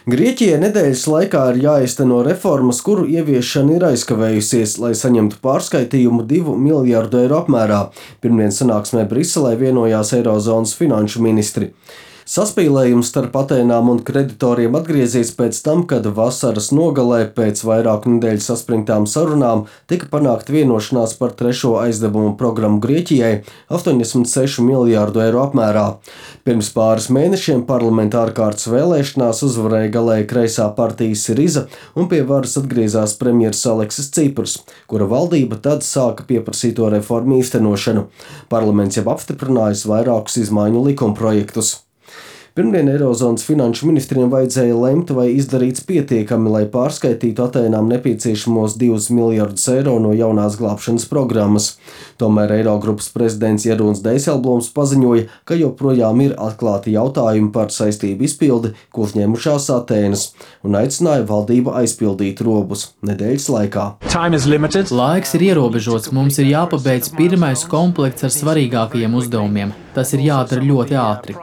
Grieķijai nedēļas laikā ir jāizteno reformas, kuru ieviešana ir aizkavējusies, lai saņemtu pārskaitījumu 2 miljārdu eiro apmērā. Pirmdien sanāksmē Briselē vienojās Eirozonas finanšu ministri. Saspīlējums starp Atēnām un kreditoriem atgriezies pēc tam, kad vasaras nogalē pēc vairāku nedēļu saspringtām sarunām tika panākta vienošanās par trešo aizdevumu programmu Grieķijai 86 miljārdu eiro apmērā. Pirms pāris mēnešiem parlamentā ārkārtas vēlēšanās uzvarēja galēji kreisā partija Siriza un pie varas atgriezās premjers Aleksis Ciprs, kura valdība tad sāka pieprasīto reformu īstenošanu. Parlaments jau apstiprinājis vairākus izmaiņu likumprojektus. Pirmdien Eirozonas finanšu ministriem vajadzēja lemt, vai izdarīts pietiekami, lai pārskaitītu Atēnām nepieciešamos 2 miljardus eiro no jaunās glābšanas programmas. Tomēr Eirogrupas prezidents Jeroens Dijsselbloems paziņoja, ka joprojām ir atklāti jautājumi par saistību izpildi, ko uzņēmušās Atēnas, un aicināja valdību aizpildīt robus nedēļas laikā. Laiks ir ierobežots, mums ir jāpabeidz pirmais komplekts ar svarīgākajiem uzdevumiem. Tas ir jādara ļoti ātri.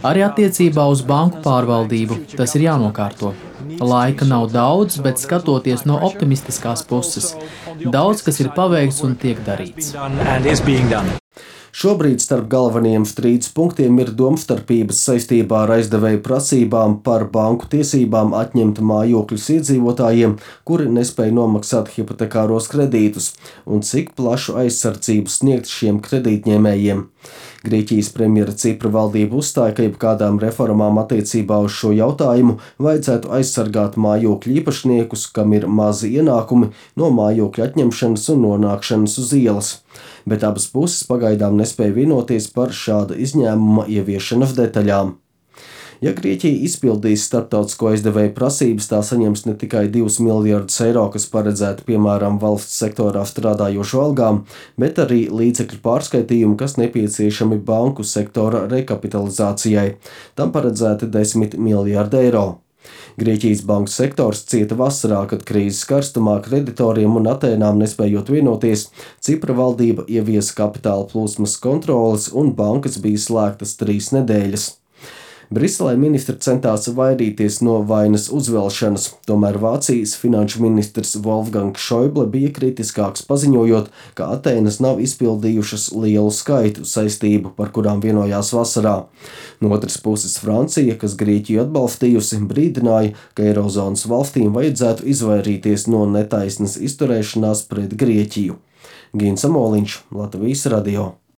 Arī attiecībā uz banku pārvaldību tas ir jānokārto. Laika nav daudz, bet skatoties no optimistiskās puses, daudz kas ir paveikts un tiek darīts. Šobrīd starp galvenajiem strīdus punktiem ir domstarpības saistībā ar aizdevēju prasībām par banku tiesībām atņemt mājokļus iedzīvotājiem, kuri nespēja nomaksāt hipotekāros kredītus, un cik plašu aizsardzību sniegt šiem kredītņēmējiem. Grieķijas premjera Cipra valdība uzstāja, ka jebkādām reformām attiecībā uz šo jautājumu vajadzētu aizsargāt mājokļu īpašniekus, kam ir mazi ienākumi, no mājokļu atņemšanas un nonākšanas uz ielas. Bet abas puses pagaidām nespēja vienoties par šāda izņēmuma ieviešanas detaļām. Ja Grieķija izpildīs starptautisko aizdevēju prasības, tā saņems ne tikai 2 miljardus eiro, kas paredzēti piemēram valsts sektorā strādājošo algām, bet arī līdzekļu pārskaitījumu, kas nepieciešami banku sektora rekapitalizācijai. Tam paredzēti 10 miljardi eiro. Grieķijas banku sektors cieta vasarā, kad krīzes karstumā kreditoriem un Atēnām nespējot vienoties, Cipra valdība ieviesa kapitāla plūsmas kontroles un bankas bija slēgtas 3 nedēļas. Briselē ministri centās vairīties no vainas uzvelšanas, tomēr Vācijas finanšu ministrs Wolfgangs Schäuble bija kritiskāks, paziņojot, ka Atēnas nav izpildījušas lielu skaitu saistību, par kurām vienojās vasarā. No otras puses Francija, kas Grieķiju atbalstījusi, brīdināja, ka Eirozonas valstīm vajadzētu izvairīties no netaisnas izturēšanās pret Grieķiju. Gins Amoliņš, Latvijas radio.